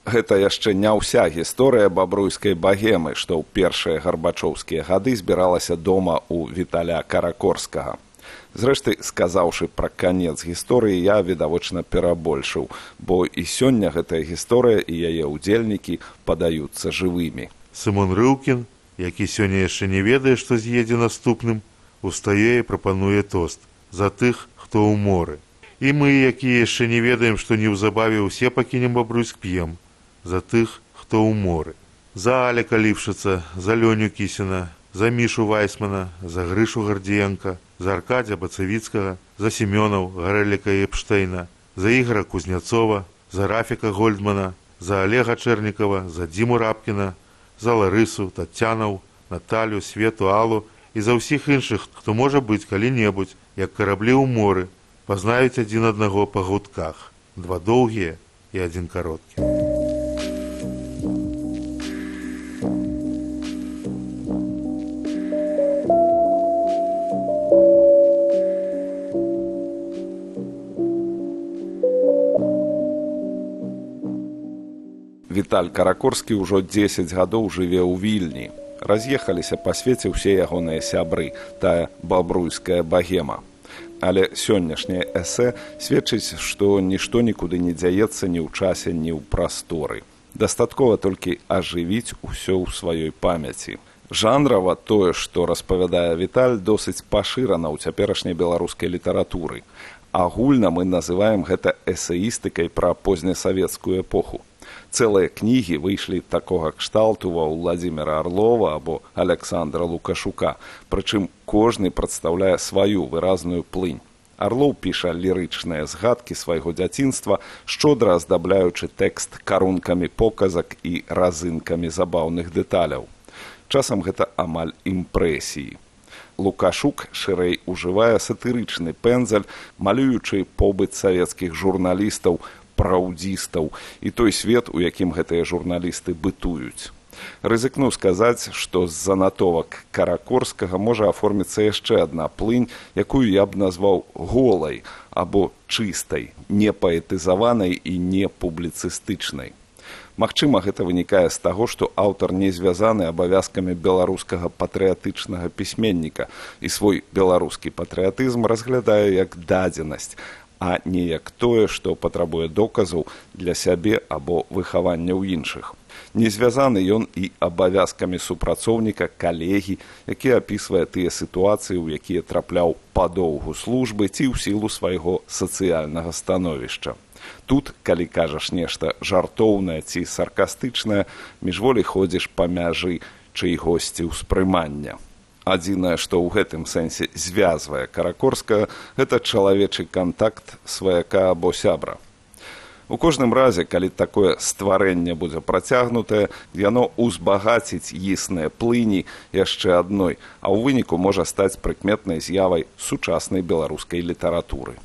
Гэта яшчэ не ўся гісторыя бабруйскай багемы, што ў першыя гарбачоўскія гады збіралася дома ў Віталя Каракорскага. Зрэшты, сказаўшы пра канец гісторыі, я відавочна перабольшыў, бо і сёння гэтая гісторыя і яе ўдзельнікі падаюцца жывымі. Сымон Рыўкін, які сёння яшчэ не ведае, што з'едзе наступным, устае і прапануе тост за тых, хто ў моры. І мы, якія яшчэ не ведаем, што неўзабаве ўсе пакінем Бабруйск, п'ем за тых, хто ў моры. За Аляка Ліпшыца, за Лёню Кісіна, за Мішу Вайсмана, за Грышу Гардзіенка, за Аркадзя Бацавіцкага, за Семёнаў Гарэліка і Эпштейна, за Ігора Кузняцова, за Рафіка Гольдмана, за Олега Чэрнікава, за Дзіму Рабкіна, за Ларысу, Тацянаў, Наталю, Свету, Аллу і за ўсіх іншых, хто можа быць калі-небудзь, як караблі ў моры, пазнаюць адзін аднаго па гудках, два доўгія і адзін кароткі. Віталь Каракорскі ўжо 10 гадоў жыве ў Вільні. Раз'ехаліся па свеце ўсе ягоныя сябры, тая бабруйская багема. Але сённяшняе эсэ сведчыць, што нішто нікуды не дзяецца ні ў часе, ні ў прасторы. Дастаткова толькі ажывіць усё ў сваёй памяці. Жанрава тое, што распавядае Віталь, досыць пашырана ў цяперашняй беларускай літаратуры. Агульна мы называем гэта эсеістыкай пра познясавецкую эпоху. Цэлыя кнігі выйшлі такога кшталту ва Владзіміра Арлова або Аляксандра Лукашука, прычым кожны прадстаўляе сваю выразную плынь. Арлоў піша лірычныя згадкі свайго дзяцінства, шчодра аздабляючы тэкст карункамі показак і разынкамі забаўных дэталяў. Часам гэта амаль імпрэсіі. Лукашук шырэй ужывае сатырычны пэндзаль, малюючы побыт савецкіх журналістаў, праўдзістаў і той свет, у якім гэтыя журналісты бытуюць. Рызыкну сказаць, што з занатовак Каракорскага можа аформіцца яшчэ адна плынь, якую я б назваў голай або чыстай, не паэтызаванай і не публіцыстычнай. Магчыма, гэта вынікае з таго, што аўтар не звязаны абавязкамі беларускага патрыятычнага пісьменніка і свой беларускі патрыятызм разглядае як дадзенасць, а не як тое, што патрабуе доказаў для сябе або выхавання ў іншых. Не звязаны ён і абавязкамі супрацоўніка, калегі, які апісвае тыя сітуацыі, у якія трапляў па доўгу службы ці ў сілу свайго сацыяльнага становішча. Тут, калі кажаш нешта жартоўнае ці саркастычнае, міжволі ходзіш па мяжы чыйгосьці ўспрымання. Адзінае, што ў гэтым сэнсе звязвае Каракорскага, гэта чалавечы кантакт сваяка або сябра. У кожным разе, калі такое стварэнне будзе працягнутае, яно узбагаціць існыя плыні яшчэ адной, а ў выніку можа стаць прыкметнай з'явай сучаснай беларускай літаратуры.